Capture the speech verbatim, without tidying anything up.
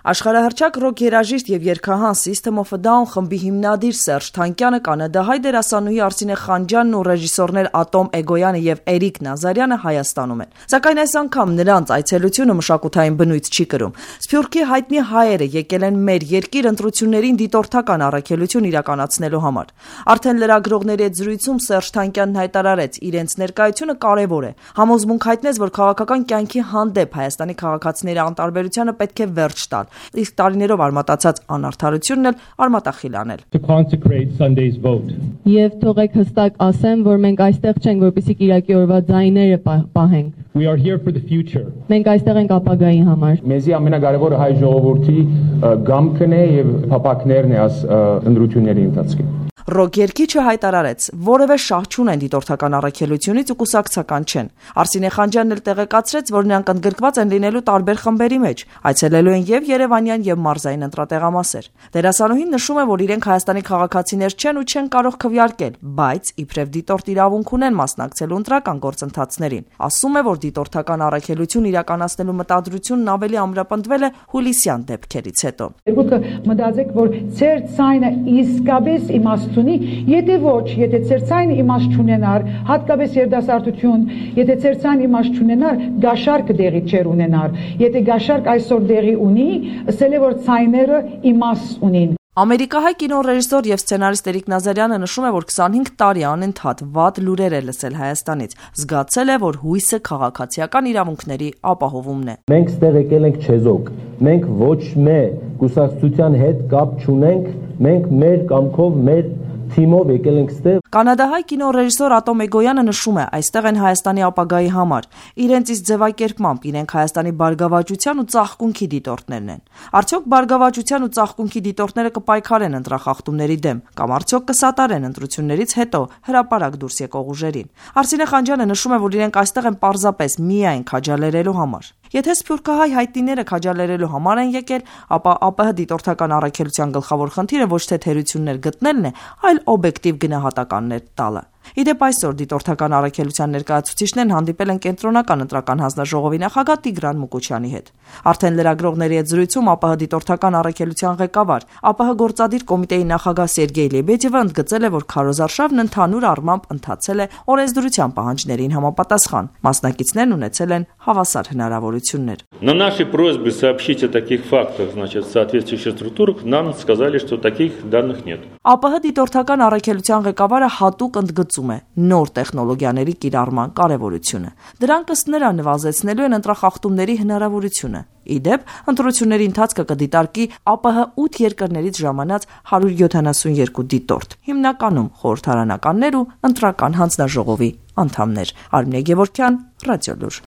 Աշխարհահռչակ ռոք երաժիշտ եւ երգահան System of a Down խմբի հիմնադիր Սերժ Թանկյանը, կանադահայ դերասանուհի Արսինե Խանջյանն ու ռեժիսորներ Ատոմ Էգոյանը եւ Էրիկ Նազարյանը Հայաստանում են։ Սակայն այս անգամ նրանց այցելությունը մշակութային բնույթ չի կրում։ Սփյուռքի հայտնի հայերը եկել են մեր երկիր ընտրություններին դիտորդական առաքելություն իրականացնելու համար։ Արդեն լրագրողների հետ զրույցում Սերժ Թանկյանն հայտարարեց, իրենց ներկայությունը կարևոր է։ Համոզմունք հայտնեց, որ քաղաքական կյանքի հանդեպ Հայաստանի քաղաքացիների անտարբերությանը պետք է վերջ տալ։ Իսկ տարիներով արմատացած անարդարությունն էլ արմատախիլ անել։ Եվ թողեք հստակ ասեմ, որ մենք այստեղ չենք, որպեսզի կիրակի օրվա ձայները պահենք։ We are here for the future. Մենք այստեղ ենք ապագայի համար։ Մեզի ամենակարևորը հայ ժողովրդի գամքն է եւ փափակներն է աս ընտրությունների ընթացքում։ Ռոք երգիչը հայտարարեց, որևէ շահ չունեն դիտորդական առաքելությունից ու կուսակցական չեն։ Արսինե Խանջյանն էլ տեղեկացրեց, որ նրանք ընդգրկված են լինելու տարբեր խմբերի մեջ, այցելելու են եւ Երևանյան եւ մարզային ընտրատեղամասեր։ Դերասանուհին նշում է, որ իրենք Հայաստանի քաղաքացիներ չեն ու չեն կարող քվեարկել, բայց իբրև դիտորդ իրավունք ունեն մասնակցելու ընտրական գործընթացներին։ Ասում է, որ դիտորդական առաքելություն իրականացնելու մտադրությունն ավելի ամրապնդվել է հուլիսյան դեպքերից հետո։ Երկուքը մտածեք, որ ծեր ցայնը իսկապես իմաստ Եթե ոչ, եթե ծերծային իմաստ չունենար, հատկապես երդասարտություն, եթե ծերծային իմաստ չունենար, գաշարքը դեղի չեր ունենար։ Եթե գաշարք այսօր դեղի ունի, ասել է, որ ցայները իմաստ ունին։ Ամերիկահայ կինոռեժիսոր եւ սցենարիստ Էրիկ Նազարյանը նշում է, որ քսանհինգ տարի անընդհատ վատ լուրեր է լսել Հայաստանից, զգացել է, որ հույսը քաղաքացիական իրավունքների ապահովումն է։ Մենք ստեղ եկել ենք չեզոք, մենք ոչ մի կուսակցության հետ կապ չունենք, մենք մեր կամքով, մեր թիմով եկել ենք ստեղ։ Կանադահայ կինոռեժիսոր Ատոմ Էգոյանը նշում է, այստեղ են Հայաստանի ապագայի համար։ Իրենց իսկ ձևակերպմամբ իրենք Հայաստանի բարգավաճության ու ծաղկունքի դիտորդներն են։ Արդյոք բարգավաճության ու ծաղկունքի դիտորդները կպայքարեն ընտրախախտումների դեմ, կամ արդյոք կսատարեն ընտրություններից հետո հրապարակ դուրս եկող ուժերին։ Արսինե Խանջյանը նշում է, որ իրենք այստեղ են պարզապես միայն քաջալերելու համար։ Եթե սփյուռքահայ հայտնիները քաջալերելու համար են եկել, ապա ԱՊՀ դիտորդական առաքելության գլխավոր խնդիրը ոչ թե թերություններ գտնելն է, այլ օբյեկտիվ գնահատականներ տալը։ Իդեպ այսօր դիտորդական առաքելության ներկայացուցիչներն հանդիպել են կենտրոնական ընտրական հանձնաժողովի նախագահ Տիգրան Մուկուչյանի հետ։ Արդեն լրագրողների հետ զրույցում ԱՊՀ դիտորդական առաքելության ղեկավար, ԱՊՀ գործադիր կոմիտեի նախագահ Սերգեյ Լեբեդևը ընդգծել է, որ քարոզարշավն ընդհանուր առմամբ ընթացել է օրենսդրության պահանջներին համապատասխան։ Մասնակիցներն ունեցել են հավասար հնարավորություններ։ На наши просьбы сообщить о таких фактах, значит, в соответствующих структурах, нам сказали, что таких данных нет. ԱՊՀ դիտորդական առաքելության ղեկավարը հատուկ ընդգծում է նոր տեխնոլոգիաների կիրառման կարևորությունը։ Դրանք ըստ նրա նվազեցնելու են ընտրախախտումների հնարավորությունը։ Իդեպ, ընտրությունների ընթացքը կդիտարկի ԱՊՀ ութ երկրներից ժամանած հարյուր յոթանասունյոթ դիտորդ, հիմնականում խորհրդարանականներ ու ընտրական հանձնաժողովի անդամներ։ Արմինե Գևորգյան, Ռադիոլուր։